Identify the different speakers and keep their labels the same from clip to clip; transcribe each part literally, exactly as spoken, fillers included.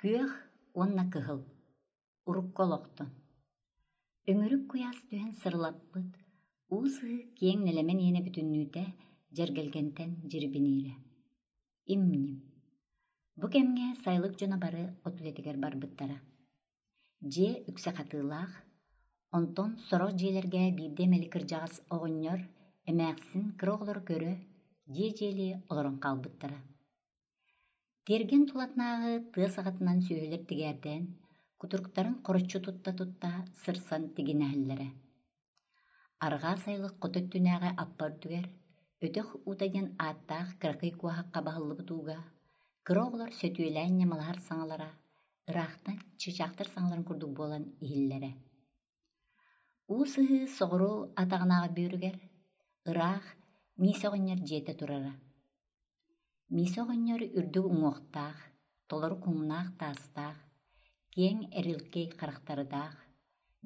Speaker 1: Күөх уонна кыһыл, урукку олохтон. Өҥүрүк куйаас түһэн сырылаппыт, уу сыһыы киэҥ нэлэмэн иэнэ бүтүннүүтэ дьэргэлгэнтэн дьирибиниирэ. Им-ньим. Бу кэмҥэ сайылык дьоно бары от үлэтигэр барбыттара. Дьиэ үксэ хатыылаах, онтон сорох дьиэлэргэ биирдэ эмэли кырдьаҕас оҕонньор, эмээхсин кыра оҕолору көрө, дьиэ-дьиэлии олорон хаалбыттара. Тиэргэн тулатынааҕы тыа саҕатынан сүөһүлэр тигээрдээн, кутуруктарын хороччу тутта-тутта сырсан тигинэһэллэрэ. Арҕаа сайылык хоту өттүнээҕи аппа үрдүгэр, өтөх уута диэн ааттаах кыракый куоһахха баһыллыбыт ууга, кыра оҕолор сөтүөлээн ньамалаһар саҥалара ыраахтан чыычаахтар саҥаларын курдук буолан иһиллэрэ. Уу сыһыы соҕуруу атаҕынааҕы бүөрүгэр, ыраах Миисэ оҕонньор дьиэтэ турара. Миисэ оҕонньор үрдүк уҥуохтаах, толору куҥнаах таастаах, киэҥ эрилкэй харахтардаах,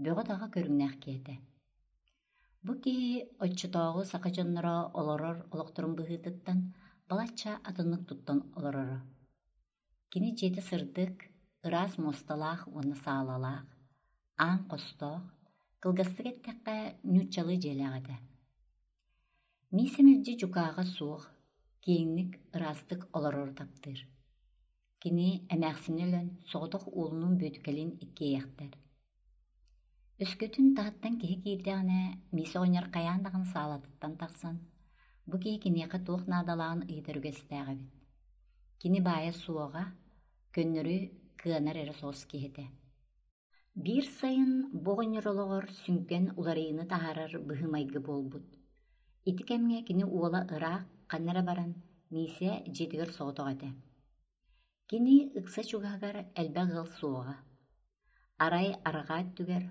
Speaker 1: бөҕө-таҕа көрүҥнээх киһи этэ. Бу киһи оччотооҕу саха дьонноро олорор олохторун быһыытыттан балачча атыннык туттан олороро. Кини дьиэтэ сырдык, ыраас муосталаах уонна саалалаах, аан хостоох, кылгастык эттэххэ, нууччалыы дьиэлээх этэ. Миисэ мэлдьи дьукааҕа суох, киэҥник, ыраастык олорору таптыыр. Кини эмээхсинэ өлөн соҕотох уолунуун Бүөтүкэлиин иккиэйэхтэр. Өскөтүн таһыттан киһи киирдэҕинэ, Миисэ оҕонньор хайаан даҕаны саалатыттан тахсан, бу киһи киниэхэ туох наадалааҕын ыйытар үгэстээх эбит. Кини баайа суоҕа, көннөрү кыанар эрэ соҕус киһи этэ. Биир сайын бу оҕонньор олоҕор сүҥкэн уларыйыыны таһаарар быһыы-майгы буолбут. Ити кэмҥэ кини уола ыраах, ханна эрэ баран, Миисэ дьиэтигэр соҕотох этэ. Кини ыкса чугаһыгар элбэх ыал суоҕа. Арай арҕаа өттүгэр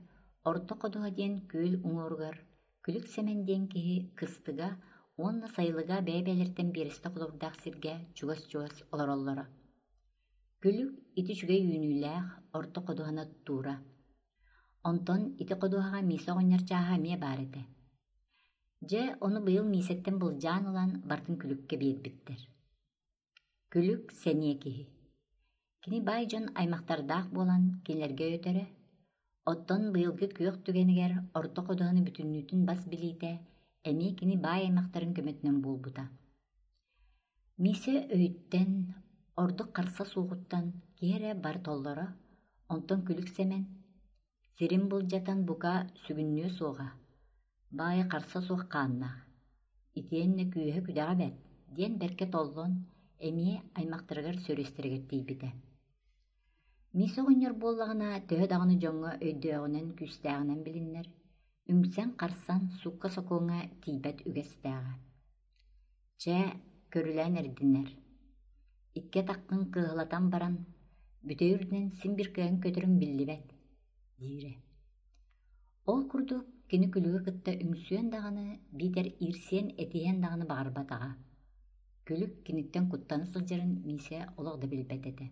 Speaker 1: Орто Ходуһа диэн күөл уҥуоругар Күлүк Сэмэн диэн киһи кыстыга уонна сайылыга бэйэ-бэйэлэриттэн биэрэстэ холобурдаах сиргэ чугас-чугас олороллоро. Күлүк ити үчүгэй үүнүүлээх Орто Ходуһаны оттуура. Онтон ити ходуһаҕа Миисэ оҕонньор чааһа эмиэ баар этэ. Дьэ, ону быйыл Миисэттэн былдьаан ылан барытын Күлүккэ биэрбиттэр. Күлүк сэниэ киһи. Кини баай дьон аймахтардаах буолан кинилэргэ өтөрө, оттон быйылгы күөх түгэнигэр Орто Ходуһаны бүтүннүүтүн бас билиитэ эмиэ кини баай аймахтарын көмөтүнэн буолбута. Миисэ өйүттэн, ордук харса суоҕуттан киһи эрэ бары толлоро, онтон Күлүк Сэмэн сирин былдьатан бука сүгүннүө суоҕа, баайа харса суох хааннаах, итиэннэ күүһэ-күдэҕэ бэрт диэн бэркэ толлон, эмиэ аймахтарыгар сөрүөстэригэр тиийбитэ. Миисэ оҕонньор буоллаҕына, төһө даҕаны дьоҥҥо өйдөөҕүнэн, күүстээҕинэн билиннэр, үҥсэн-харсан суукка-сокуоҥҥа тиийбэт үгэстээҕэ. Чэ, көрүлээн эрдинэр. Икки атаххын кыаһылатан баран, бүтэй үрдүнэн син биир кыайан көтөрүҥ биллибэт, диирэ. Ол курдук кини Күлүгү кытта үҥсүөн даҕаны, биитэр иирсиэн-этиһиэн даҕаны баҕарбатаҕа. Күлүк киниттэн куттана сылдьарын Миисэ олох да билбэт этэ.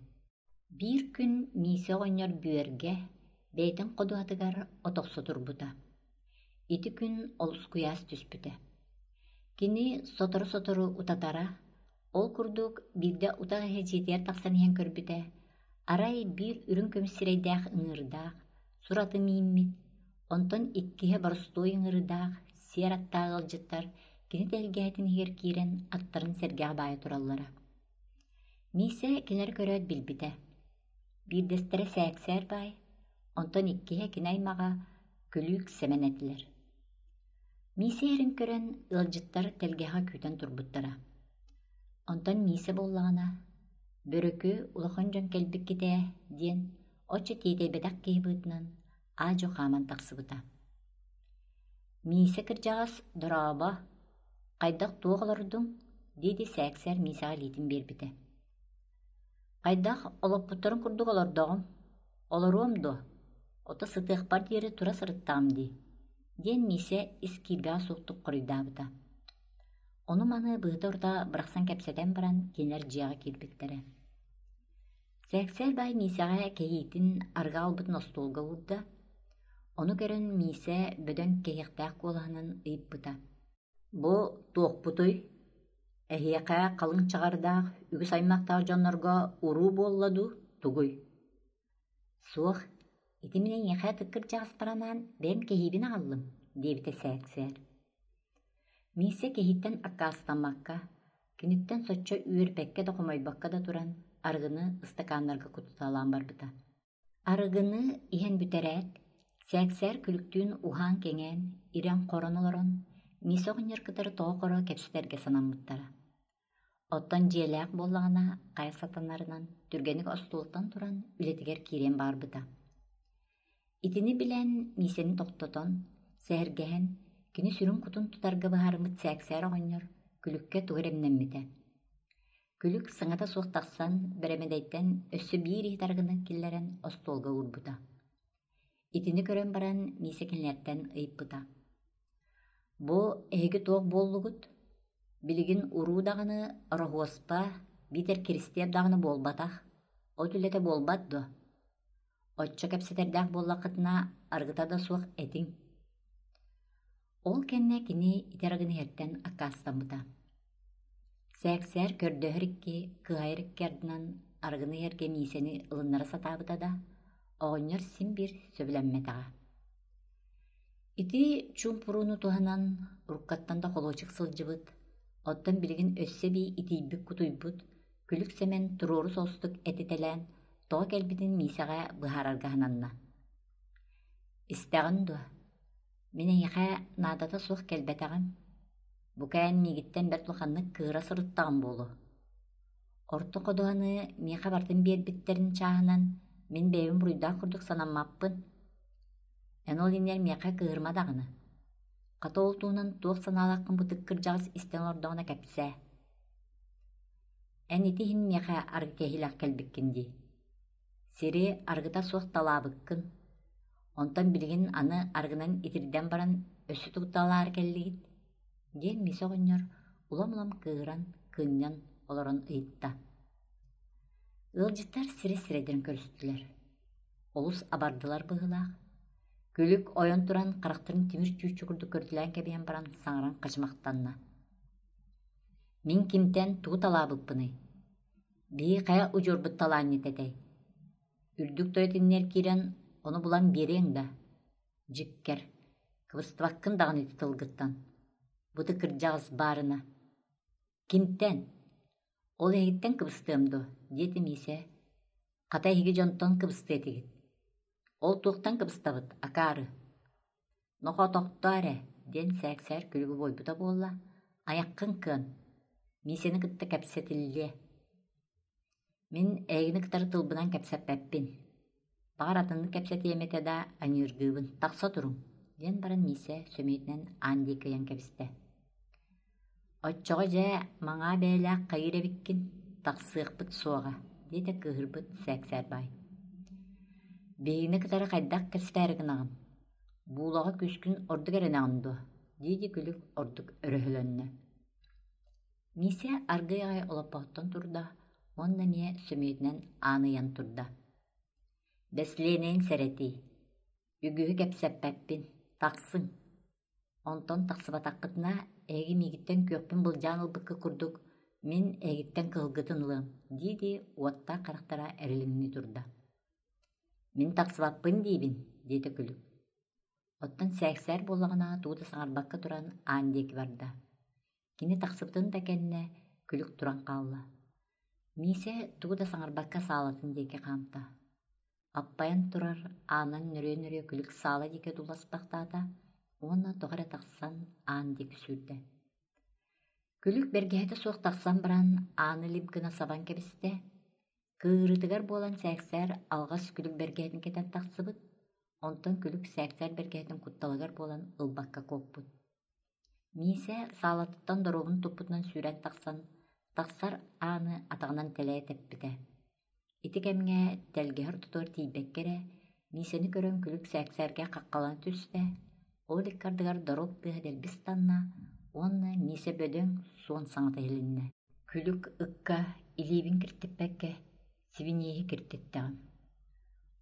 Speaker 1: Биир күн Миисэ оҕонньор бүөргэ, бэйэтин ходуһатыгар от охсо турбута. Ити күн олус куйаас түспүтэ. Кини сотору-сотору утатара, ол курдук биирдэ утах иһэ дьиэтигэр тахсан иһэн көрбүтэ, арай биир үрүҥ көмүс сирэйдээх ыҥыырдаах, сураты мииммит, онтон иккиһэ боростуой ыҥыырдаах, сиэр аттаах ыалдьыттар кини тэлгэһэтин иһигэр киирэн аттарын сэргэҕэ баайа тураллара. Миисэ кинилэри көрөөт билбитэ. Биирдэстэрэ Сээксээр баай, онтон иккиһэ кини аймаҕа Күлүүк Сэмэн этилэр. Миисэ иһэрин көрөн ыалдьыттар тэлгэһэҕэ күүтэн турбуттара. Онтон Миисэ буоллаҕына, «Бөрөкү улахан дьон кэлбиккит ээ» диэн оччо тиэтэйбэтэх киһи быһыытынан аа-дьуо хааман тахсыбыта. Миисэ кырдьаҕас «Дорообо, хайдах туох олордуҥ?» дии-дии Сээксээр Миисэҕэ илиитин биэрбитэ. «Хайдах олоппуттарын курдук олордоҕум, олоруом дуо, ото сытыахпар диэри тура сырыттаҕым дии» диэн Миисэ ис киирбэҕэ суохтук хоруйдаабыта. Ону-маны быһыта-орута бырахсан кэпсэтэн баран кинилэр дьиэҕэ киирбиттэрэ. Сээксээр баай Миисэҕэ кэһиитин арыгы аҕалбытын остуолга уурда. Ону көрөн Миисэ бөдөҥ кэһиэхтээх куолаһынан ыйыппыта: «Бу туохпутуй? Эһиэхэ халыҥ чаҕардаах, үгүс аймахтаах дьоннорго уруу буолла дуу, тугуй?» Суох, ити мин эйиэхэ ытык кырдьаҕаспар анаан бэйэм кэһиибин аҕаллым, диэбитэ Сээксээр. Миисэ киһиттэн аккаастаммакка, киниттэн соччо үөрбэккэ да хомойбокко да туран арыгыны ыстакааннарга кутуталаан барбыта. Арыгыны иһэн бүтэрээт, Сээксээр күлүктүүн уһаан-кэҥээн, ирэн-хорон олорон, Миисэ оҕонньор кытары тоҕо-хоро кэпсэтэргэ санаммыттара. Оттон дьиэлээх буоллаҕына, хайа сатанарынан түргэнник остуолтан туран үлэтигэр киириэн баҕарбыта. Итини билэн, Миисэни тохтотон, сэһэргэһэн, кини сүрүн кутун тутарга быһаарыммыт Сээксээр оҕонньор Күлүккэ тугу эрэ эмнэммитэ. Күлүк саҥата суох тахсан, бэрэмэдэйтэн өссө биир иһит арыгыны киллэрэн остуолга уурбута. Итини көрөн баран Миисэ кинилэртэн ыйыппыта: «Бу эһиги туох буоллугут? Билигин уруу даҕаны, Ороһуоспа, биитэр Киристиэп даҕаны буолбатах, от үлэтэ буолбат дуо? Оччо кэпсэтэрдээх буоллаххытына, арыгыта да суох этиҥ». Ол кэннэ кини ити арыгыны иһэртэн аккаастаммыта. Сээксээр көрдөһөр икки, кыһайар икки ардынан арыгыны иһэргэ Миисэни ылыннара сатаабыта да, оҕонньор син биир сөбүлэммэтэҕэ. Ити чуумпурууну туһанан уруккаттан да холуочук сылдьыбыт, оттон билигин өссө эбии итийбит-кутуйбут Күлүк Сэмэн туруору соҕустук этитэлээн тоҕо кэлбитин Миисэҕэ быһаарарга сананна. «Истэҕин дуо? Мин эйиэхэ наадата суох кэлбэтэҕим. Бука эн миигиттэн бэрт улаханнык кыыра сырыттаҕым буолуо. Орто ходуһаны миэхэ барытын биэрбиттэрин чааһынан мин бэйэбин буруйдаах курдук санаммаппын. Эн ол иннигэр миэхэ кыыһырма даҕаны. Хата ол туһунан туох санаалааххын бытык кырдьаҕас истэн олордоҕуна кэпсээ. Эн ити иһин миэхэ арыгы кэһиилээх кэлбиккин дии. Сири арыгыта суох талаабыккын. Онтон билигин аны арыгынан итирдэн баран өссө тугу талаары кэллигит?» диэн Миисэ оҕонньор улам-улам кыыһыран, кыынньан олорон ыйытта. Ыалдьыттар сирэй-сирэйдэрин көрүстүлэр. Олус абардылар быһыылаах. Күлүк ойон туран харахтарын тимир чүүччү курдук көрүтэлээн кэбиһэн баран саҥаран хачымахтанна. «Мин кимтэн тугу талаабыппыный? Биһи хайа удьуорбут талаанньыт этэй? Үрдүк тойот иннигэр киирэн ону булан биэриэҥ да? Дьиккэр, кыбыстыбаккын даҕаны ити тылгыттан. Бу кырдьаҕас баарына. Кимтэн? Ол эһигиттэн кыбыстыам дуо?» диэтэ Миисэ. «Хата эһиги дьонтон кыбыстыа этигит. Ол туохтан кыбыстабыт, акаары? Нохоо тохтоо эрэ» диэн Сээксээр күлүгү буойбута буолла, «айаххын кыан, Миисэни кытта кэпсэтиллиэ. Мин эйигини кытары тылбынан кэпсэппэппин. Баҕар атыннык кэпсэтиэм этэ да, аньыыргыыбын, тахса туруҥ» диэн баран Миисэ сөмүйэтинэн аан диэки ыйан кэбистэ. «Оччоҕо дьэ маҥаа бэйэлээх хайыыр эбиккин, тахсыахпыт суоҕа» диэтэ кыыһырбыт Сээксээр баай. «Биһигини кытары хайдах кэпсэтээри гынаҕын? Буулаҕа күүскүн ордук эрэнэҕин дуо?» дии-дии Күлүк ордук өрөһөлөннө. Миисэ аргыый аҕай олоппоһуттан турда уонна эмиэ сөмүйэтинэн аан ыйан турда. «Бэслиэнэйин сэрэтии, үгүһү кэпсэппэппин, тахсыҥ. Онтон тахсыбатаххытына, эһиги миигиттэн күөхпүн былдьаан ылбыкка курдук, мин эһигиттэн кыһылгытын ылыам» дии-дии уоттаах харахтара эрилиҥнии турда. «Мин тахсыбаппын диибин» диэтэ Күлүк. Оттон Сээксээр буоллаҕына тугу да саҥарбакка туран аан диэки барда. Кини тахсыбытын да кэннэ Күлүк туран хаалла. Миисэ тугу да саҥарбакка саалатын диэки хаамта. Аппайан турар аанан нөрүө-нөрүө Күлүк саала диэки дуласпахтаата уонна тоҕо эрэ тахсан аан диэки сүүрдэ. Күлүк бэргэһэтэ суох тахсан баран ааны лип гына сабан кэбистэ. Кыырытыгар буолан Сээксээр алҕас Күлүк бэргэһэтин кэтэн тахсыбыт, онтон Күлүк Сээксээр бэргэһэтин кутталыгар буолан ылбакка куоппут. Миисэ саалатыттан доруобун туппутунан сүүрэн тахсан, тахсар ааны атаҕынан тэлэйэ тэппитэ. Ити кэмҥэ тэлгэһэ ортотугар тиийбэккэ эрэ, Миисэни көрөн Күлүк Сээксээргэ хаххалана түстэ, ол икки ардыгар доруоп тыаһа дэлби ыстанна уонна Миисэ бөдөҥ, суон саҥата иһилиннэ. Күлүк ыкка илиибин киртиппэккэ, сибиниэһи киртиттэҕим.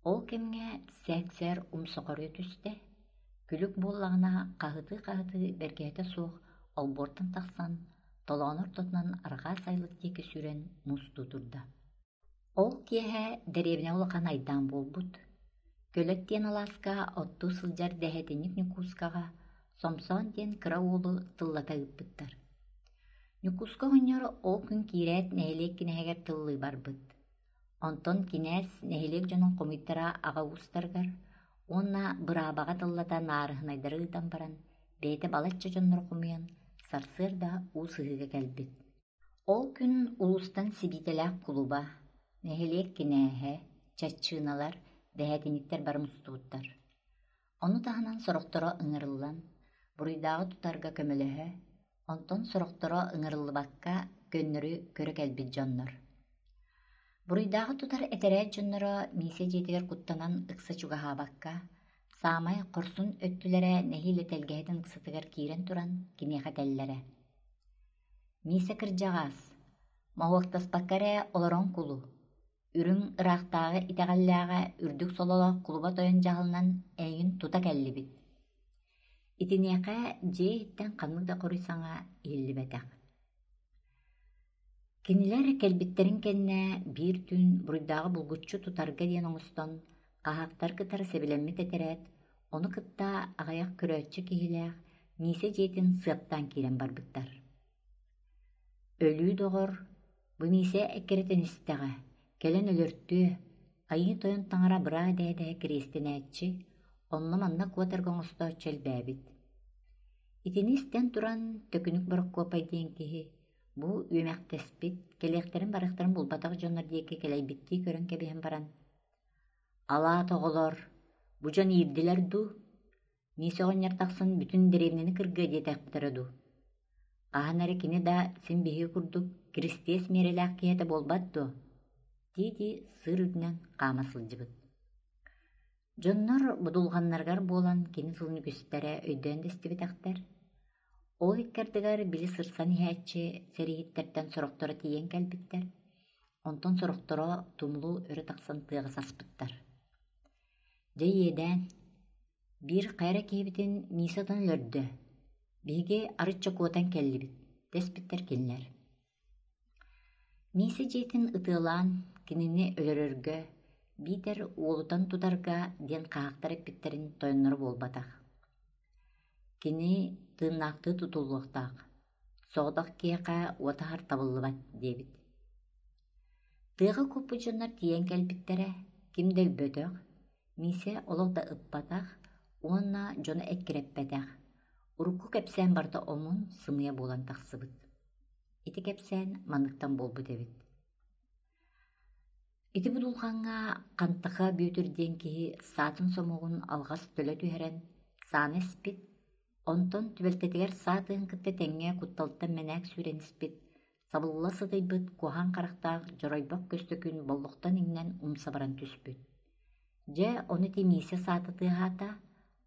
Speaker 1: Ол кэмҥэ Сээксээр умса хоруйа түстэ, Күлүк буоллаҕына хаһытыы-хаһытыы бэргэһэтэ суох олбуортан тахсан, толоон ортотунан арҕаа сайылык диэки сүүрэн мустуу турда. Ол киэһэ дэриэбинэ улахан айдаан буолбут. Көлөт диэн алааска оттуу сылдьар дэһэтинньик Ньукуускаҕа Сомсоон диэн кыра уолу тыллата ыыппыттар. Ньукууска оҕонньор ол күн киирээт нэһилиэк кинээһигэр тыллыы барбыт. Онтон кинээс нэһилиэк дьонун хомуйтара аҕа уустарыгар уонна быраабаҕа тыллата наарыһынайдары ыытан баран, бэйэтэ балачча дьоннору хомуйан, сарсыарда уу сыһыыга кэлбит. Ол күн улуустан сибиитэлээх кулуба, нэһилиэк кинээһэ, чаччыыналар, дэһээтинниктэр бары мустубуттар. Ону таһынан сорохторо ыҥырыллан, буруйдааҕы тутарга көмөлөһө, онтон сорохторо ыҥырыллыбакка көннөрү көрө кэлбит дьоннор. Буруйдааҕы тутар этэрээт дьонноро Миисэ дьиэтигэр куттанан ыкса чугаһаабакка, саамай хорсун өттүлэрэ нэһиилэ тэлгэһэтин ыксатыгар киирэн туран киниэхэ этэллэрэ: «Миисэ кырдьаҕаас, моһуоктаспакка эрэ олорон кулу, үрүҥ ыраахтааҕы итэҕэллээҕэ үрдүк сололоох кулуба тойон дьаһалынан эйигин тута кэллибит». Итиниэхэ дьиэ иһиттэн ханнык да хоруй саҥа иһиллибэтэх. Кинилэр кэлбиттэрин кэннэ биир түүн буруйдааҕы булгуччу тутарга диэн оҥостон, хаһаактар кытары сэбилэммит этэрээт, ону кытта аҕыйах көрөөччү киһилээх Миисэ дьиэтин сыаптаан киирэн барбыттар. Өлүү доҕор, бу Миисэ эккирэтэн истэҕэ, кэлэн өлөртүө, Айыы Тойон таҥара быраа дэһэ-дэһэ кириэстэнээччи, онно-манна куотарга оҥостооччу элбээбит. Итини истэн туран Төкүнүк Борокуопай диэн киһи бу үөмэхтэспит, кэлиэхтэрин-барыахтарын булбатах дьоннор диэки кэлэйбиттии көрөн кэбиһэн баран, «Алаат оҕолор, бу дьон иирдилэр дуу? Миисэ оҕонньор тахсан бүтүн дэриэбинэни кыргыа диэтэхтэрэ дуу? Хаһан эрэ кини да син биһиги курдук киристиэс миэрэлээх киһи этэ буолбат дуо?» дии-дии сыыр үрдүнэн хаама сылдьыбыт. Дьоннор будулҕаннарыгар буолан кини тылын үгүстэрэ өйдөөн да истибэтэхтэр. Ол икки ардыгар били сырсан иһээччи сэрииһиттэртэн сорохторо тиийэн кэлбиттэр, онтон сорохторо тумулу өрө тахсан тыаҕа саспыттар. Дьэ иэдээн, биир хайа эрэ киһибитин Миисэ отон өлөрдө, биһиги арычча куотан кэллибит, дэспиттэр кинилэр. Миисэ дьиэтин ытыалаан кинини өлөрөргө биитэр уолутан тутарга диэн хаһаактар эппиттэрин тойонноро буолбатах. Кини тыыннаахтыы тутуллуохтаах, соҕотох киһиэхэ уот аһар табыллыбат диэбит. Тыаҕа куоппут дьоннор тиийэн кэлбиттэрэ, ким да өлбөтөх, Миисэ олох да ыппатах уонна дьону эккирэппэтэх, урукку кэпсээн барыта омун, сымыйа буолан тахсыбыт. Ити кэпсээн манныктан буолбут эбит. Ити будулҕаҥҥа Хантаха Бүөтүр диэн киһи саатын сомоҕун алҕас төлө түһэрэн сааны эспит, онтон түбэлтэтигэр саа тыаһын кытта тэҥҥэ кутталтан мэнээк сүүрэн испит, сабылла сытыйбыт куһаҕан харахтаах дьоройбох Көстөкүүн боллохтон иҥнэн умса баран түспүт. Дьэ, ону ити Миисэ саата тыаһаата,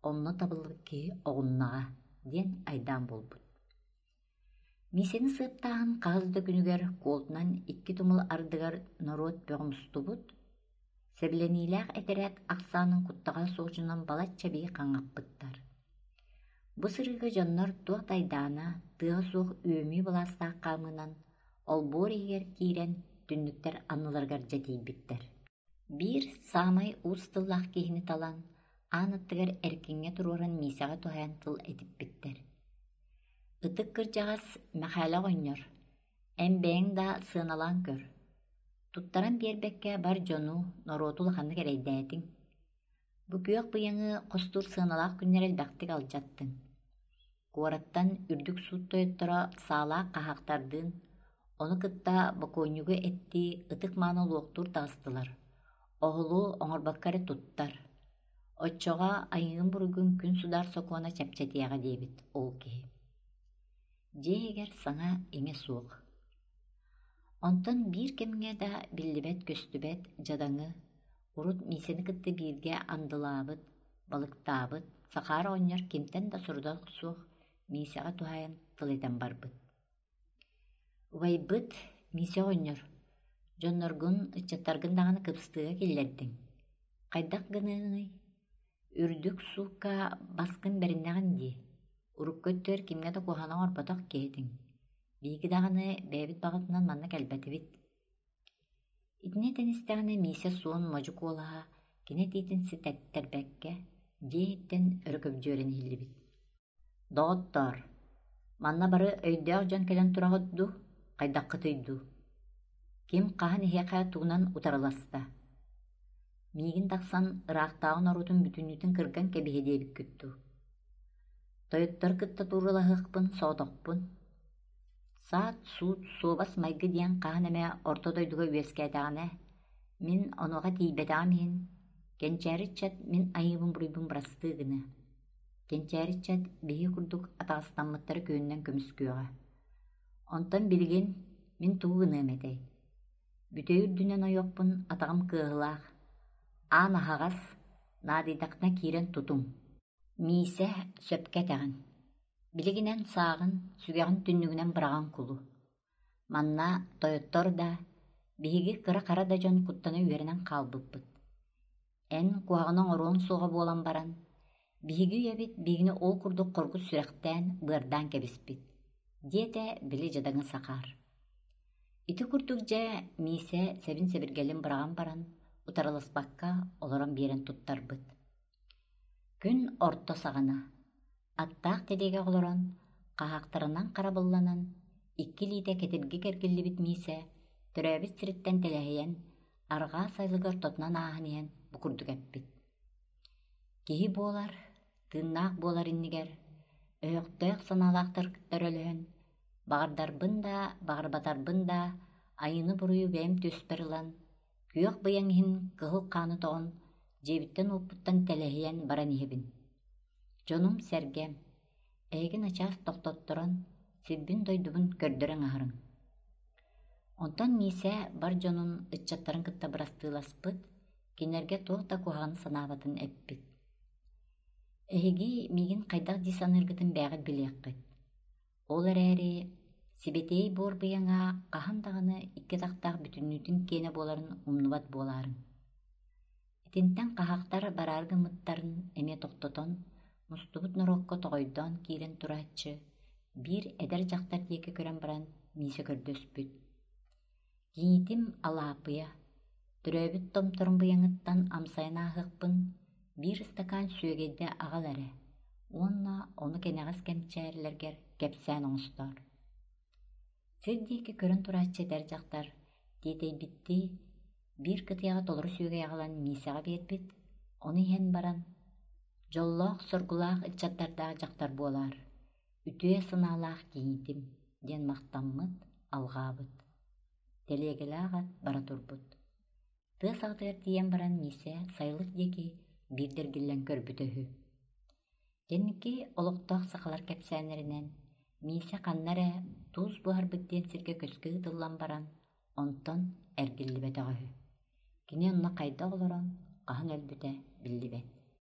Speaker 1: онно табыллыбыт киһи оҕуннаҕа диэн айдаан буолбут. Миисэни сыаптааһын хаһыс да күнүгэр куолтунан икки тумул ардыгар норуот бөҕө мустубут, сэбилэниилээх этэрээт ахсаанын куттаҕа суох дьонун балачча бии хаҥаппыттар. Бу сырыыга дьоннор туох да айдаана, тыаһа суох үөмүү былаастаах хаамыынан олбуор иһигэр киирэн түннүктэр анныларыгар дьэ тиийбиттэр. Биир саамай уус тыллаах киһини талан, аан аттыгар эркиҥҥэ туруоран Миисэҕэ туһаайан тыл этиппиттэр. Ытык кырдьаҕас Мэхээлэ оҕонньор, эн бэйэҥ да сыаналаан көр, туттаран биэрбэккэ бар дьону, норуоту улаханнык эрэйдээтиҥ. Бу күөх быйаҥы хостуур сыаналаах күннэри элбэхтик алдьаттыҥ. Куораттан үрдүк суут тойотторо саалаах хаһаактардыын, ону кытта бокуонньугу эттии ытык-мааны луохтуур таҕыстылар, оһолу оҥорбокко эрэ туттар. Оччоҕо айыгын-буруйгун күн судаар сокуона чэпчэтиэҕэ диэбит ол киһи. Дьиэ иһигэр саҥа-иҥэ суох. Онтон биир кэмҥэ да биллибэт-көстүбэт дьадаҥы, урут Миисэни кытта бииргэ андылаабыт, балыктаабыт Сахаар оҕонньор кимтэн да сорудах суох Миисэҕэ туһаайан тыл этэн барбыт. Убайбыт Миисэ оҕонньор, дьонноргун, ыччаттаргын даҕаны кыбыстыыга киллэрдиҥ. Хайдах гыныаҥый? Үрдүк суукка баскын бэриннэҕин дии. Урукку өттүгэр кимҥэ да куһаҕаны оҥорботох киһи этиҥ. Биһиги даҕаны бэйэбит баҕатынан манна кэлбэтибит. Итини этэн истэҕинэ Миисэ суон модьу куолаһа Кини этиитин ситэттэрбэккэ, дьиэ иһиттэн өрө көбдьүөрэн иһиллибит. Доҕоттоор, манна бары өйдөөх дьон кэлэн тураҕыт дуу, хайдаххытый дуу? Ким хаһан эһиэхэ тугунан утарыласта? Миигин тахсан ыраахтааҕы норуотун бүтүннүүтүн кырган кэбиһиэ диэбиккит дуу? Тойоттору кытта тууралаһыахпын соҕотохпун. Саат-суут, суобас-майгы диэн хаһан эмэ орто дойдуга үөскээтэҕинэ, мин онуоха тиийбэтэҕим иһин, кэнчээри ыччат мин айыыбын-буруйбун бырастыы гыныа. Кэнчээри ыччат биһиги курдук атаҕастаммыттары күөнүнэн көмүскүөҕэ. Онтон билигин мин тугу гыныам этэй? Бүтэй үрдүнэн ойуохпун атаҕым кыаһылаах, аан аһаҕас, наадыйдаххына киирэн тутуҥ. Миисэ, сөпкө этэҕин. Билигин эн сааҕын, сүгэҕин түннүгүнэн быраҕан кулу. Манна тойоттор да, биһиги кыра-хара да дьон куттана үөрэнэн хаалбыппыт. Эн куһаҕаны оҥоруоҥ суоҕа буолан баран, биһиги үйэбит биһигини ол курдук хоргут сүрэхтээн, быардаан кэбиспит, диэтэ били дьадаҥы Сахаар. Ити курдук дьэ Миисэ сэбин-сэбиргэлин быраҕан баран, утарыласпакка олорон биэрэн туттарбыт. Күн орто саҕана, аттаах тэлиэгэ олорон, хаһаактарынан харабылланан, икки илиитэ кэтирги кэргиллибит Миисэ төрөөбүт сириттэн тэлэһийэн, арҕаа сайылыгар ортотунан ааһан иһэн бу курдук эппит. Киһи буолар, тыыннаах буолар иннигэр, өһөхтөөх санаалаахтар кытта өрөлөһөн, баҕардарбын да, баҕарбатарбын да, айыыны-буруйу бэйэм түөспэр ылан, күөх быйаҥ иһин кыһыл хааны тоҕон, дьиэбиттэн-уоппуттан тэлэһийэн баран иһэбин. Дьонум-сэргэм, эһиги начаас тохтотторон, сирбин-дойдубун көрдөрөн аһарыҥ. Онтон Миисэ бар дьонун, ыччаттарын кытта бырастыыласпыт, кинилэргэ туох да куһаҕаны санаабатын эппит. Эһиги миигин хайдах дии саныыргытын бэйэҕит билиэххит. Ол эрээри сибэтиэй буор быйаҥа хаһан даҕаны икки атахтаах бүтүннүүтүн киэнэ буоларын умнубат буолаарыҥ. Итинтэн хаһаактар бараары гыммыттарын эмиэ тохтотон, мустубут норуокка тоҕойдоон киирэн турааччы биир эдэр дьахтар диэки көрөн баран Миисэ көрдөспүт. Кийиитим Алааппыйа, төрөөбүт томторум быйаҥыттан амсайан ааһыахпын биир ыстакаан сүөгэйдэ аҕал эрэ уонна ону кэнэҕэс кэнчээрилэргэр кэпсээн оҥостоор. Сир диэки көрөн турааччы эдэр дьахтар тиэтэйбиттии биир кытыйаҕа толору сүөгэй аҕалан Миисэҕэ биэрбит, ону иһэн баран «Дьоллоох-соргулаах ыччаттардаах дьахтар буолаар, үтүө санаалаах кийиитим» диэн махтаммыт, алҕаабыт. Тэлиэгэлээх ат бара турбут. Тыа саҕатыгар тиийэн баран Миисэ сайылык диэки биирдэ эргиллэн көрбүтэ үһү. Кэнники олохтоох сахалар кэпсээннэринэн Миисэ ханна эрэ туус буһарбыт диэн сиргэ көскө ыытыллан баран, онтон эргиллибэтэҕэ үһү. Кини онно хайдах олорон, хаһан өлбүтэ биллибэт.